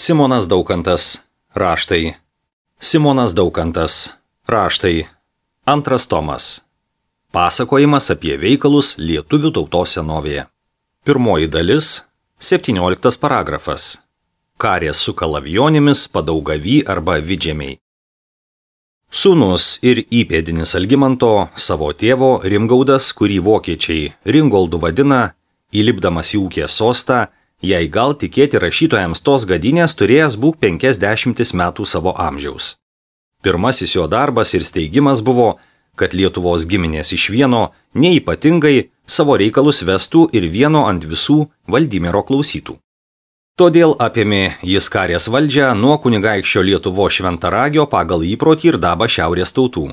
Simonas Daukantas. Raštai. Simonas Daukantas. Raštai. Antras tomas. Pasakojimas apie veikalus lietuvių tautos senovėje. Pirmoji dalis. 17 paragrafas. Karės su kalavijonimis Padaugavy arba Vidžemiai. Sūnus ir įpėdinis Algimanto, savo tėvo Rimgaudas, kurį vokiečiai Ringoldu vadina, įlipdamas į ūkės sostą, jei gal tikėti rašytojams tos gadynės, turėjęs būk 50 metų savo amžiaus. Pirmasis jo darbas ir steigimas buvo, kad Lietuvos giminės iš vieno neypatingai savo reikalus vestų ir vieno ant visų Valdimiro klausytų. Todėl apėmė jis karės valdžią nuo kunigaikščio Lietuvos šventaragio pagal įprotį ir dabą šiaurės tautų.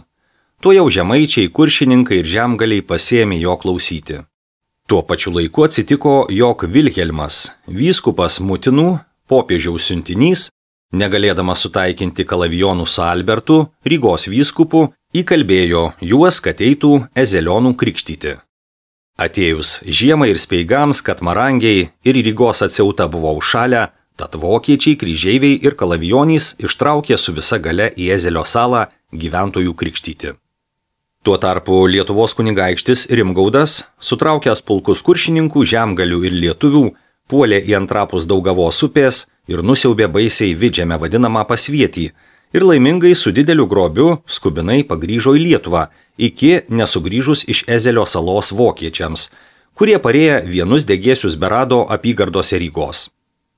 Tuo jau žemaičiai, kuršininkai ir žemgaliai pasėmė jo klausyti. Tuo pačiu laiku atsitiko, jog Vilhelmas, vyskupas Mutinų, popiežiaus siuntinys, negalėdamas sutaikinti kalavijonų su Albertu, Rygos vyskupu, įkalbėjo juos, kad eitų Ezelionų krikštyti. Atėjus žiemai ir speigams, kad marangiai ir Rygos atsiauta buvo užšalę, tad vokiečiai, kryžeiviai ir kalavijonys ištraukė su visa gale į Ezelio salą gyventojų krikštyti. Tuo tarpu Lietuvos kunigaikštis Rimgaudas, sutraukęs pulkus kuršininkų, žemgalių ir lietuvių, puolė į antrapus Daugavos upės ir nusiaubė baisiai Vidžemę vadinamą pasvietį ir laimingai su dideliu grobiu skubinai pagrįžo į Lietuvą, iki nesugrįžus iš Ezelio salos vokiečiams, kurie parėję vienus degėsius berado apygardose Rygos.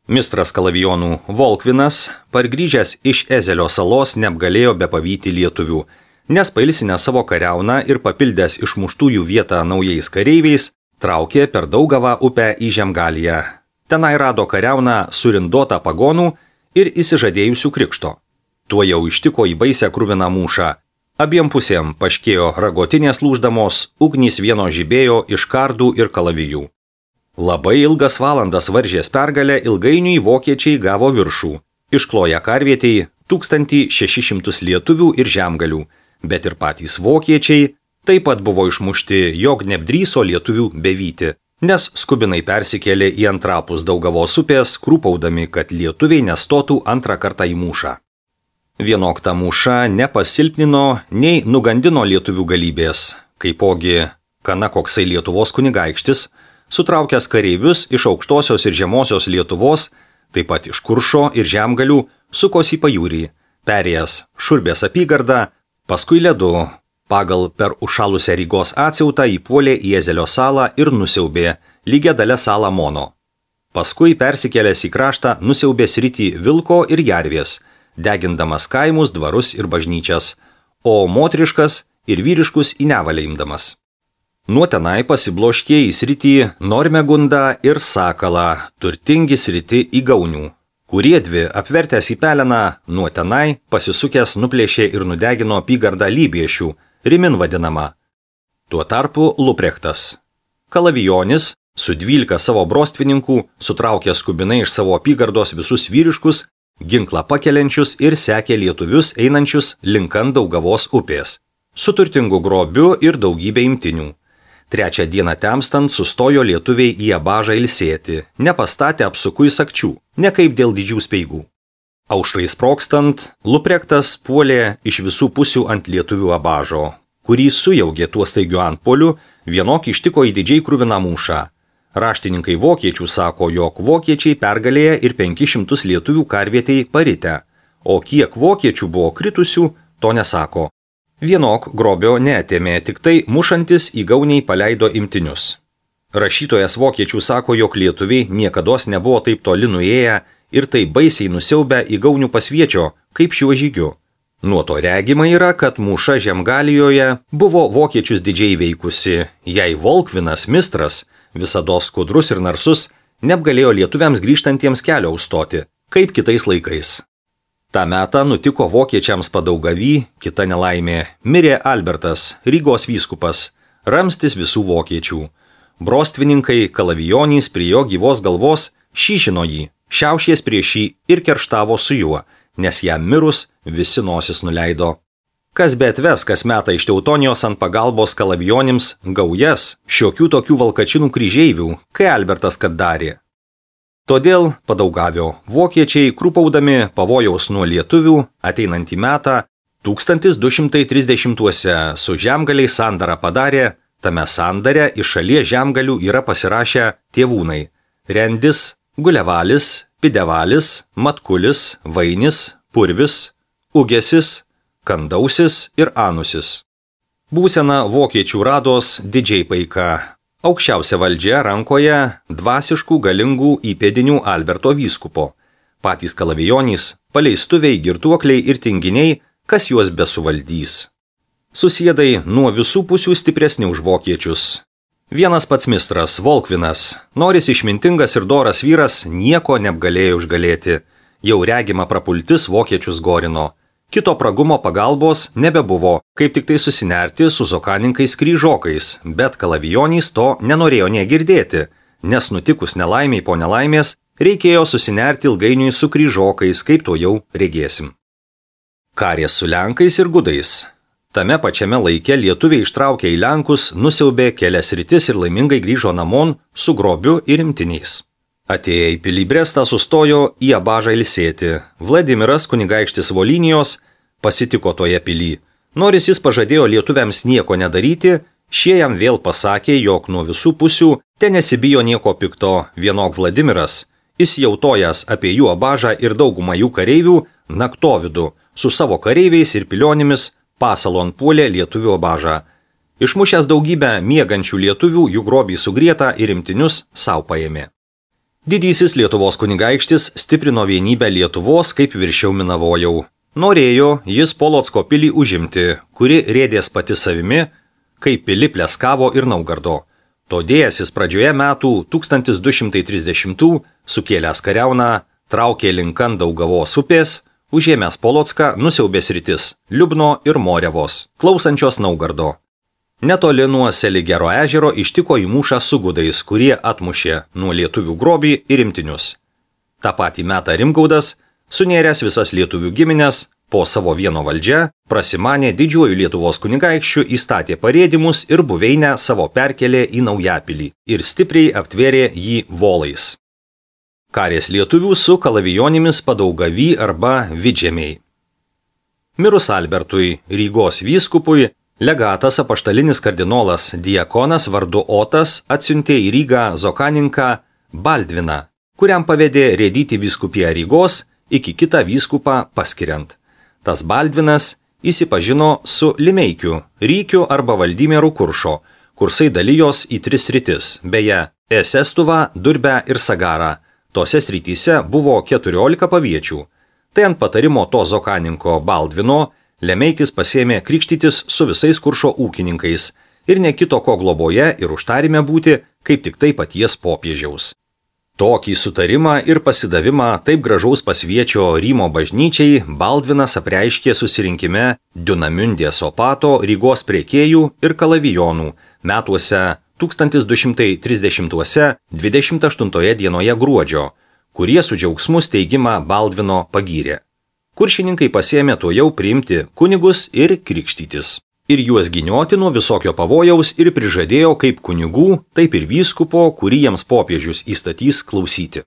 Mistras kalavijonų Volkvinas, pargrįžęs iš Ezelio salos, neapgalėjo bepavyti lietuvių, nes pailsinęs savo kariauną ir papildęs išmuštųjų vietą naujais kareiviais, traukė per Daugavą upę į Žemgaliją. Tenai rado kariauną surindotą pagonų ir įsižadėjusių krikšto. Tuo jau ištiko į baisę kruviną mūšą. Abiem pusėm paškėjo ragotinės lūždamos, ugnys vieno žibėjo iš kardų ir kalavijų. Labai ilgas valandas varžės pergalę, ilgainiui vokiečiai gavo viršų. Iškloję karvietei 1600 lietuvių ir žemgalių, bet ir patys vokiečiai taip pat buvo išmušti, jog neapdrįso lietuvių bevyti, nes skubinai persikėlė į antrapus Daugavos upės, krūpaudami, kad lietuviai nestotų antrą kartą į mūšą. Vienok ta mūša nepasilpnino, nei nugandino lietuvių galybės, kaipogi kana koksai Lietuvos kunigaikštis, sutraukęs kareivius iš aukštosios ir žemosios Lietuvos, taip pat iš Kuršo ir žemgalių, sukosi į pajūrį, perėjęs Šurbės apygardą, paskui ledu, pagal per užšalusią Rygos atsiautą įpuolė į Ezelio salą ir nusiaubė lygia dalę salą Mono. Paskui persikėlęs į kraštą nusiaubė sritį Vilko ir Jarvės, degindamas kaimus, dvarus ir bažnyčias, o moteriškas ir vyriškus į nevalę imdamas. Nuo tenai pasibloškė į sritį Normegundą ir Sakalą, turtingi sritį į Gaunių, kurie dvi, apvertęs į peleną, nuo tenai pasisukęs nuplėšė ir nudegino apygardą Lybiešių, Rimin vadinama. Tuo tarpu Luprechtas. Kalavijonis, su 12 savo brostvininkų, sutraukė skubinai iš savo apygardos visus vyriškus, ginklą pakeliančius ir sekė lietuvius einančius linkant Daugavos upės, su turtingu grobiu ir daugybė imtinių. Trečią dieną temstant sustojo lietuviai į Abažą ilsėti, nepastatė apsukui sakčių, ne kaip dėl didžių speigų. Aušrai sprogstant, Luprechtas puolė iš visų pusių ant lietuvių Abažo, kurį sujaugė tuo staigiu antpuoliu, vienok ištiko į didžiai kruviną mūšą. Raštininkai vokiečių sako, jog vokiečiai pergalėję ir 500 lietuvių karvietei paritę, o kiek vokiečių buvo kritusių, to nesako. Vienok grobio neatėmė, tik tai mušantis į Gauniai paleido imtinius. Rašytojas vokiečių sako, jog lietuviai niekados nebuvo taip toli nuėję ir taip baisiai nusiaubę į Gaunių pasviečio, kaip šiuo žygiu. Nuo to regima yra, kad mūša Žemgalijoje buvo vokiečius didžiai veikusi, jei Volkvinas Mistras, visados skudrus ir narsus, neapgalėjo lietuviams grįžtantiems kelio užstoti, kaip kitais laikais. Ta metą nutiko vokiečiams Padaugavy kita nelaimė. Mirė Albertas, Rygos vyskupas, ramstis visų vokiečių. Brostvininkai kalavijonys prie jo gyvos galvos šyšino jį, šiaušies prieš jį ir kerštavo su juo, nes jam mirus visi nosis nuleido. Kas be atves kas metą iš Teutonijos ant pagalbos kalavijonims gaujas, šiokių tokių valkačinų kryžeivių, kai Albertas kad darė. Todėl padaugavio vokiečiai, krūpaudami pavojaus nuo lietuvių, ateinantį metą 1230-uose su žemgaliais sandarą padarė, tame sandare iš šalies žemgalių yra pasirašę tėvūnai Rendis, Gulevalis, Pidevalis, Matkulis, Vainis, Purvis, Ugesis, Kandausis ir Anusis. Būsena vokiečių rados didžiai paika. Aukščiausia valdžia rankoje dvasiškų galingų įpėdinių Alberto vyskupo. Patys kalavijonys, paleistuviai, girtuokliai ir tinginiai, kas juos besuvaldys. Susiedai nuo visų pusių stipresni už vokiečius. Vienas pats mistras, Volkvinas, noris išmintingas ir doras vyras, nieko neapgalėjo užgalėti. Jau regima prapultis vokiečius gorino. Kito pragumo pagalbos nebebuvo, kaip tik tai susinerti su zokaninkais kryžokais, bet kalavijonys to nenorėjo negirdėti, nes nutikus nelaimiai po nelaimės reikėjo susinerti ilgainiui su kryžokais, kaip to jau regėsim. Karės su lenkais ir gudais. Tame pačiame laike lietuviai ištraukė į lenkus, nusiaubė kelias rytis ir laimingai grįžo namon su grobiu ir imtiniais. Atėję į pilį Brestą sustojo į Abažą ilsėti. Vladimiras kunigaikštis Volinijos pasitiko toje pilį. Nors jis pažadėjo lietuviams nieko nedaryti, šie jam vėl pasakė, jog nuo visų pusių te nesibijo nieko pikto. Vienok Vladimiras, įsijautojas apie jų Abažą ir daugumą jų kareivių, naktovidu su savo kareiviais ir pilionimis pasalon puolė lietuvių Abažą. Išmušęs daugybę miegančių lietuvių, jų grobį sugrietą ir imtinius sau paėmė. Didysis Lietuvos kunigaikštis stiprino vienybę Lietuvos kaip viršiau minavojau. Norėjo jis Polocko pilį užimti, kuri rėdės pati savimi, kaip pili Pleskavo ir Naugardo. Todėl jis pradžioje metų 1230 sukėlęs kariauną, traukė linkan Daugavos upės, užėmęs Polocką nusiaubės rytis Liubno ir Morevos, klausančios Naugardo. Netoli nuo Seligero ežero ištiko į mūšą su gudais, kurie atmušė nuo lietuvių grobį ir imtinius. Ta patį metą Rimgaudas, sunėręs visas lietuvių giminės, po savo vieno valdžia, prasimanė didžiuoju Lietuvos kunigaikščiu, įstatė parėdimus ir buveinę savo perkelė į Naujapilį ir stipriai aptvėrė jį volais. Karės lietuvių su kalavijonimis Padaugavy arba Vidžemiai. Mirus Albertui, Rygos vyskupui, legatas apaštalinis kardinolas diakonas vardu Otas atsiuntė į Rygą zokaninką Baldviną, kuriam pavedė rėdyti vyskupiją Rygos iki kitą vyskupą paskiriant. Tas Baldvinas įsipažino su Limeikiu, Rykiu arba Valdimieru Kuršo, kursai dalijos į 3 sritis, beje, Esestuvą, Durbę ir Sagarą. Tose srityse buvo 14 paviečių. Tai ant patarimo to zokaninko Baldvino Lemeikis pasėmė krikštytis su visais Kuršo ūkininkais ir nekito ko globoje ir užtarime būti, kaip tik tai paties popiežiaus. Tokį sutarimą ir pasidavimą taip gražaus pasviečio Rymo bažnyčiai Baldvinas apreiškė susirinkime Dunamundės opato Rygos prekėjų ir kalavijonų metuose 1230-uose 28 dienoje gruodžio, kurie su džiaugsmu steigimą Baldvino pagyrė. Kuršininkai pasėmė to jau priimti kunigus ir krikštytis. Ir juos ginioti nuo visokio pavojaus ir prižadėjo kaip kunigų, taip ir vyskupo, kurį jiems popiežius įstatys klausyti.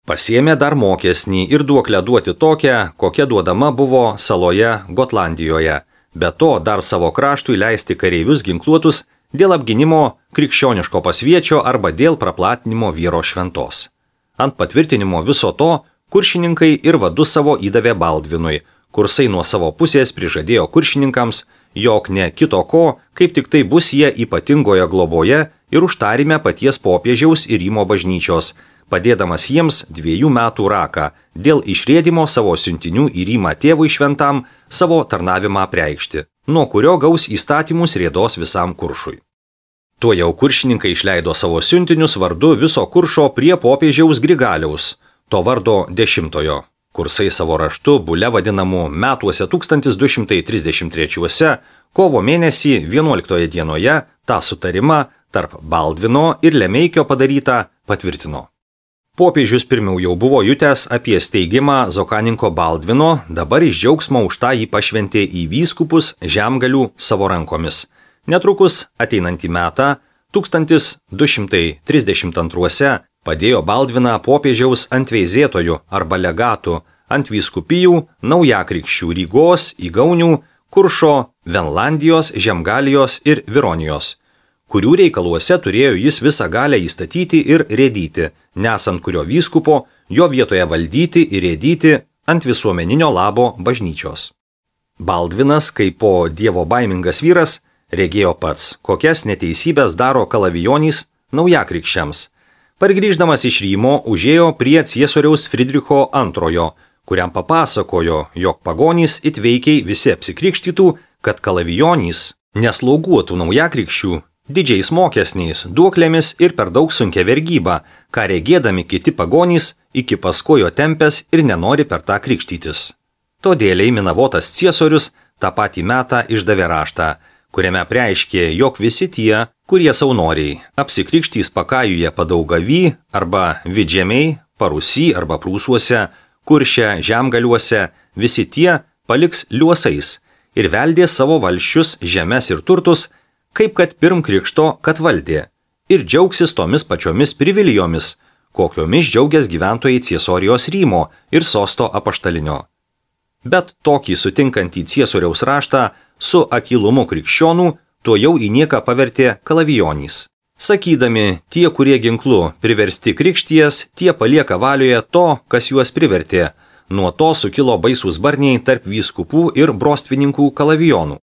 Pasėmė dar mokesnį ir duoklę duoti tokią, kokia duodama buvo saloje Gotlandijoje. Be to dar savo kraštui leisti kareivius ginkluotus dėl apginimo krikščioniško pasviečio arba dėl praplatinimo vyro šventos. Ant patvirtinimo viso to kuršininkai ir vadus savo įdavė Baldvinui, kursai nuo savo pusės prižadėjo kuršininkams, jog ne kito ko, kaip tik tai bus jie ypatingoje globoje ir užtarime paties popiežiaus ir Rymo bažnyčios, padėdamas jiems 2 metų raką dėl išrėdimo savo siuntinių į Rymą tėvui šventam savo tarnavimą apreikšti, nuo kurio gaus įstatymus rėdos visam Kuršui. Tuo jau kuršininkai išleido savo siuntinius vardu viso Kuršo prie popiežiaus Grigaliaus, to vardo 10-ojo. Kursai savo raštu bule vadinamų metuose 1233 kovo mėnesį 11 dienoje tą sutarimą tarp Baldvino ir Lemeikio padarytą patvirtino. Popiežius pirmiau jau buvo jutęs apie steigimą zokaninko Baldvino, dabar iš džiaugsmo už tą jį pašventė į vyskupus žemgalių savo rankomis. Netrukus ateinantį metą 1232 Padėjo Baldviną popiežiaus antveizėtojų arba legatų ant vyskupijų naujakrikščių Rygos, Įgaunių, Kuršo, Venlandijos, Žemgalijos ir Vironijos, kurių reikaluose turėjo jis visą galę įstatyti ir rėdyti, nesant kurio vyskupo jo vietoje valdyti ir rėdyti ant visuomeninio labo bažnyčios. Baldvinas, kaip po dievo baimingas vyras, regėjo pats, kokias neteisybės daro kalavijonys naujakrikščiams. Pargrįždamas iš Rymo užėjo prie ciesoriaus Fridricho II, kuriam papasakojo, jog pagonys įtveikiai visi apsikrikštytų, kad kalavijonys neslauguotų naujakrikščių didžiais mokesniais, duoklėmis ir per daug sunkia vergyba, ką regėdami kiti pagonys iki paskojo tempęs ir nenori per tą krikštytis. Todėliai minavotas ciesorius tą patį metą išdavė raštą, kuriame preiškė, jog visi tie, kurie saunoriai apsikrikštys Pakajuje Padaugavy arba Vidžemiai, Parusy arba Prūsuose, Kurše, Žemgaliuose, visi tie paliks liuosais ir veldė savo valsčius, žemes ir turtus, kaip kad pirm krikšto, kad valdė, ir džiaugsis tomis pačiomis privilijomis, kokiomis džiaugias gyventojai Ciesorijos Rymo ir sosto apaštalinio. Bet tokį sutinkantį ciesoriaus raštą su akylumu krikščionų tuo jau į nieką pavertė kalavijonys. Sakydami, tie, kurie ginklu priversti krikšties, tie palieka valioje to, kas juos privertė. Nuo to sukilo baisūs barniai tarp vyskupų ir brostvininkų kalavijonų.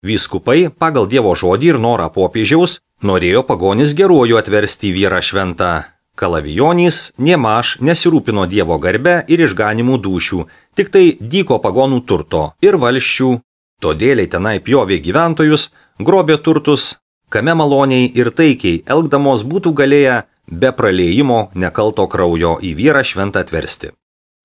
Vyskupai, pagal Dievo žodį ir norą popiežiaus, norėjo pagonis geruoju atversti vyrą šventą. Kalavijonys niemaž nesirūpino Dievo garbe ir išganimų dūšių, tik tai dyko pagonų turto ir valsčių. Todėliai tenai pjovė gyventojus, grobė turtus, kame maloniai ir taikiai elgdamos būtų galėję be praliejimo nekalto kraujo į vyrą šventą atversti.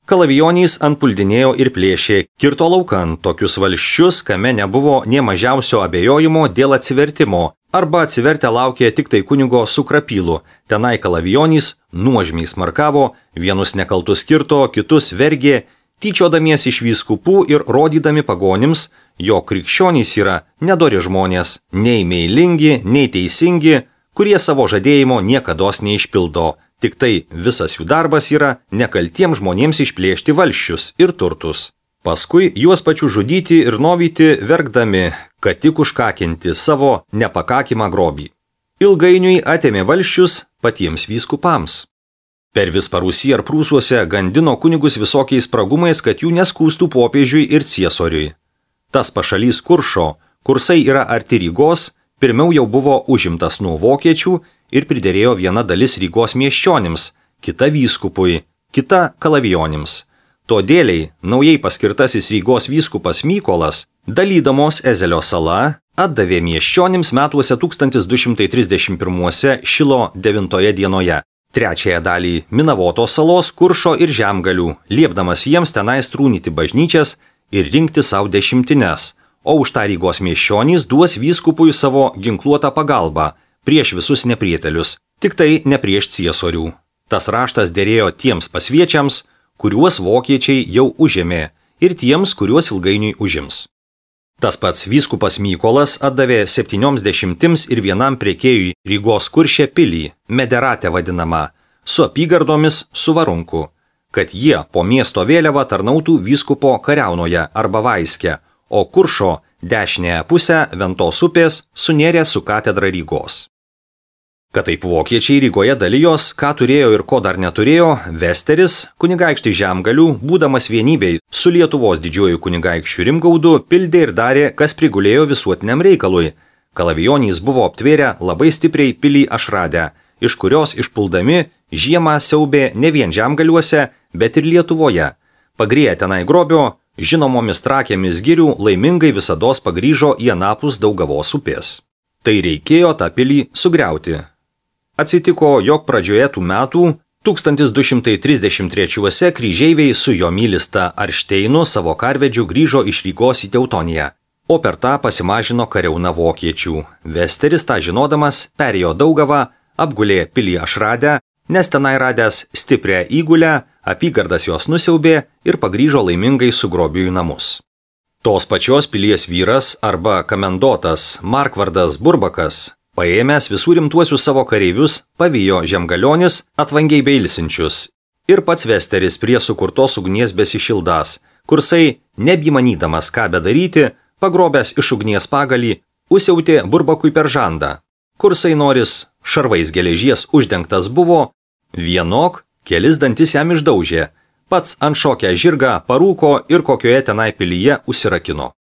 Kalavijonys antpuldinėjo ir plėšė, kirto laukan tokius valsčius, kame nebuvo nė mažiausio abejojimo dėl atsivertimo, arba atsivertę laukė tik tai kunigo su krapylu. Tenai kalavijonys nuožmiai smarkavo, vienus nekaltus kirto, kitus vergė, tyčiodamiesi iš vyskupų ir rodydami pagonims, jog krikščionys yra nedori žmonės, nei meilingi, nei teisingi, kurie savo žadėjimo niekados neišpildo. Tik tai visas jų darbas yra nekaltiems žmonėms išplėšti valsčius ir turtus. Paskui juos pačių žudyti ir novyti verkdami, kad tik užkakinti savo nepakakimą grobį. Ilgainiui atėmė valsčius patiems vyskupams. Per vis Parusy ar Prūsuose gandino kunigus visokiais spragumais, kad jų neskūstų popiežiui ir ciesoriui. Tas pašalys Kuršo, kursai yra arti Rygos, pirmiau jau buvo užimtas nuo vokiečių ir priderėjo viena dalis Rygos miesčionims, kita vyskupui, kita kalavijonims. Todėliai naujai paskirtasis Rygos vyskupas Mykolas, dalydamos Ezelio sala, atdavė miesčionims metuose 1231 Šilo 9 dienoje, trečiąją dalį Minavotos salos, Kuršo ir Žemgalių, liepdamas jiems tenai strūnyti bažnyčias ir rinkti savo dešimtines, o už tą Rygos miesčionys duos vyskupui savo ginkluotą pagalbą prieš visus neprietelius, tik tai ne prieš ciesorių. Tas raštas derėjo tiems pasviečiams, kuriuos vokiečiai jau užėmė, ir tiems, kuriuos ilgainiui užims. Tas pats vyskupas Mykolas atdavė 71 prekėjui Rygos Kurše pilį, Mederate vadinamą, su apygardomis su varunku, kad jie po miesto vėliavą tarnautų vyskupo kariaunoje arba vaiske, o Kuršo dešinėje pusę Ventos upės sunėrė su katedra Rygos. Kad taip vokiečiai Rygoje dalijos, ką turėjo ir ko dar neturėjo, Vesteris, kunigaikštis Žemgalių, būdamas vienybei su Lietuvos didžiuoju kunigaikščiu Rimgaudu, pildė ir darė, kas prigulėjo visuotiniam reikalui. Kalavijonys buvo aptvėrę labai stipriai pilį Ašradę, iš kurios išpuldami žiemą siaubė ne vien Žemgaliuose, bet ir Lietuvoje. Pagrėję tenai grobio, žinomomis trakėmis girių laimingai visados pagrįžo į anapus Daugavos upės. Tai reikėjo tą pilį sugriauti. Atsitiko, jog pradžioje tų metų 1233 kryžeiviai su jo mylista Aršteinu savo karvedžiu grįžo iš Rygos į Teutoniją, o per tą pasimažino kariauna vokiečių. Vesteris tą žinodamas perėjo Daugavą, apgulė pilį Ašradę, nes tenai radęs stiprią įgulę, apygardas jos nusiaubė ir pagrįžo laimingai su grobiu į namus. Tos pačios pilies vyras arba kamendotas Markvardas Burbakas Paėmęs visų rimtuosius savo kareivius, pavijo Žemgalionis atvangiai beilsinčius ir pats Vesteris prie sukurtos ugnies besišildas, kursai, nebymanydamas ką bedaryti, pagrobęs iš ugnies pagalį, užsiautė Burbakui per žandą. Kursai noris šarvais geležies uždengtas buvo, vienok kelis dantis jam išdaužė, pats ant šokę žirgą parūko ir kokioje tenai pilyje užsirakino.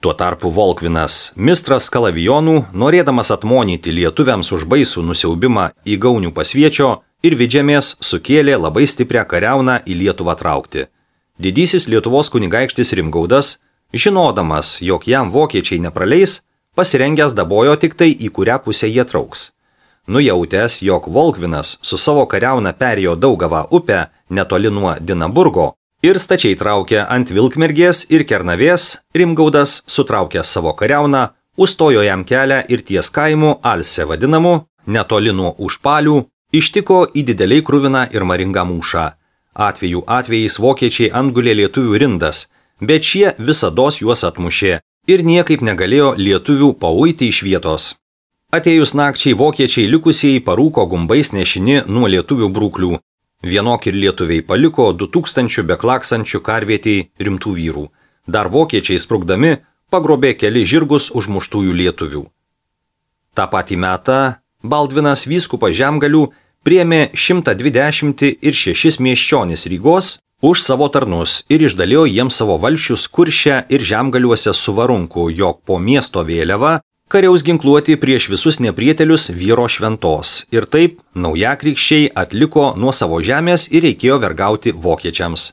Tuo tarpu Volkvinas, mistras kalavijonų, norėdamas atmonyti lietuviams už baisų nusiaubimą į Gaunių Pasviečio ir Vidžemės, sukėlė labai stiprią kariauną į Lietuvą traukti. Didysis Lietuvos kunigaikštis Rimgaudas, žinodamas, jog jam vokiečiai nepraleis, pasirengęs dabojo tik tai, į kurią pusę jie trauks. Nujautęs, jog Volkvinas su savo kariauna perėjo Daugavą upę netoli nuo Dinaburgo ir stačiai traukė ant Vilkmergės ir Kernavės, Rimgaudas, sutraukęs savo kariauną, užstojo jam kelią ir ties kaimu Alse vadinamu, netoli nuo Užpalių, ištiko į dideliai kruviną ir maringą mūšą. Atvejais vokiečiai antgulė lietuvių rindas, bet šie visados juos atmušė ir niekaip negalėjo lietuvių pauiti iš vietos. Atėjus nakčiai vokiečiai likusieji parūko gumbais nešini nuo lietuvių brūklių. Vienok ir lietuviai paliko 2000 beklaksančių karvietei rimtų vyrų. Dar vokiečiai sprukdami pagrobė keli žirgus užmuštųjų lietuvių. Ta patį metą Baldvinas vyskupas Žemgalių priėmė 126 miesčionis Rygos už savo tarnus ir išdalijo jiems savo valsčius Kurše ir Žemgaliuose su varunku, jog po miesto vėliava kariaus ginkluoti prieš visus neprietelius vyro šventos ir taip naujakrikščiai atliko nuo savo žemės ir reikėjo vergauti vokiečiams.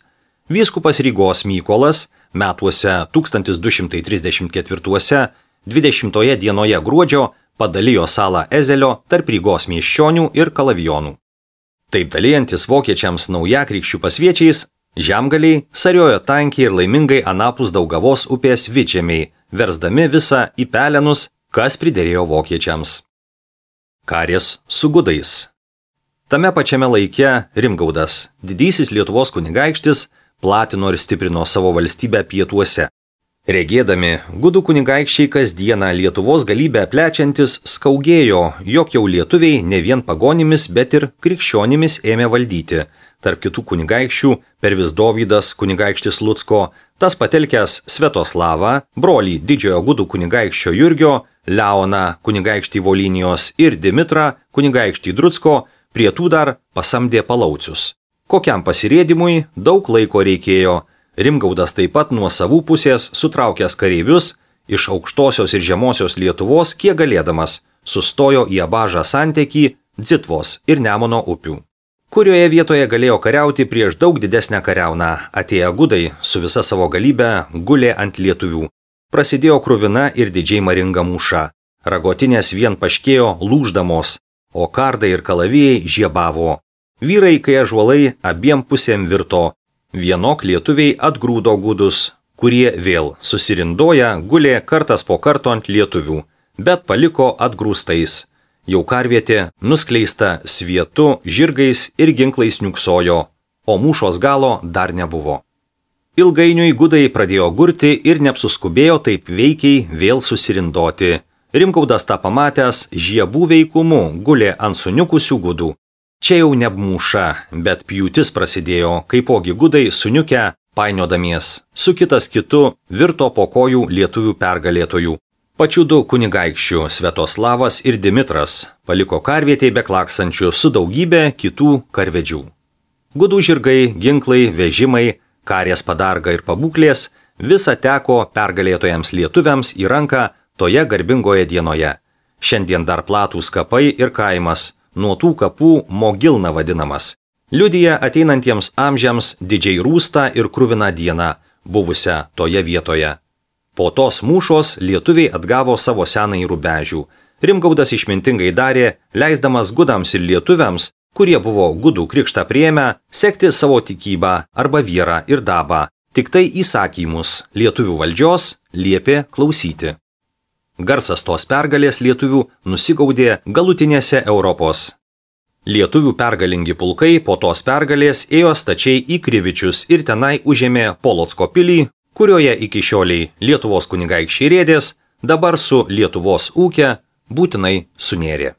Vyskupas Rygos Mykolas metuose 1234 20 dienoje gruodžio padalijo salą Ezelio tarp Rygos miesčionių ir kalavijonų. Taip dalijantis vokiečiams naujakrikščių pasviečiais, Žemgaliai sariojo tankiai ir laimingai anapus Daugavos upės Vidžemiai, versdami visą į pelenus, kas priderėjo vokiečiams. Karės su gudais. Tame pačiame laike Rimgaudas, didysis Lietuvos kunigaikštis, platino ir stiprino savo valstybę pietuose. Regėdami, gudų kunigaikščiai kasdieną Lietuvos galybę plečiantis skaugėjo, jog jau lietuviai ne vien pagonimis, bet ir krikščionimis ėmė valdyti. Tarp kitų kunigaikščių Pervis Dovydas kunigaikštis Lucko, tas patelkęs Svetoslavą, brolį didžiojo gudų kunigaikščio Jurgio, Leoną kunigaikštį Volinijos ir Dimitrą kunigaikštį Drucko, prie tų dar pasamdė palaucius. Kokiam pasirėdimui daug laiko reikėjo. Rimgaudas taip pat nuo savų pusės sutraukęs kareivius iš aukštosios ir žemosios Lietuvos, kiek galėdamas, sustojo į Abažą santekį Dzitvos ir Nemuno upių, kurioje vietoje galėjo kariauti prieš daug didesnę kariauną. Atėję gudai su visa savo galybe gulė ant lietuvių. Prasidėjo kruvina ir didžiai maringa mūša. Ragotinės vien paškėjo lūždamos, o kardai ir kalavijai žiebavo. Vyrai, kai ąžuolai abiem pusėm virto. Vienok lietuviai atgrūdo gudus, kurie vėl susirindoja gulė kartas po karto ant lietuvių, bet paliko atgrūstais. Jau karvietė nuskleista svietu, žirgais ir ginklais niuksojo, o mūšos galo dar nebuvo. Ilgainiui gudai pradėjo gurti ir neapsuskubėjo taip veikiai vėl susirindoti. Rimgaudas tą pamatęs žiebų veikumu gulė ant suniukusių gudų. Čia jau ne mūša, bet pjūtis prasidėjo, kaipogi gudai suniukę, painiodamies, su kitas kitu virto po kojų lietuvių pergalėtojų. Pačių du kunigaikščių Svetoslavas ir Dimitras paliko karvietėj beklaksančių su daugybė kitų karvedžių. Gudų žirgai, ginklai, vežimai, karės padarga ir pabūklės visa teko pergalėtojams lietuviams į ranką toje garbingoje dienoje. Šiandien dar platūs kapai ir kaimas, nuo tų kapų Mogilna vadinamas. Liudija ateinantiems amžiams didžiai rūstą ir kruviną dieną, buvusią toje vietoje. Po tos mūšos lietuviai atgavo savo senąjį Rubežių. Rimgaudas išmintingai darė, leisdamas gudams ir lietuviams, kurie buvo gudų krikštą priėmę, sekti savo tikybą arba vyrą ir dabą. Tik tai įsakymus lietuvių valdžios liepė klausyti. Garsas tos pergalės lietuvių nusigaudė galutinėse Europos. Lietuvių pergalingi pulkai po tos pergalės ėjo stačiai į Krivičius ir tenai užėmė Polocko pilį, kurioje iki šioliai Lietuvos kunigaikščiai Rėdės, dabar su Lietuvos ūke, būtinai sunėrė.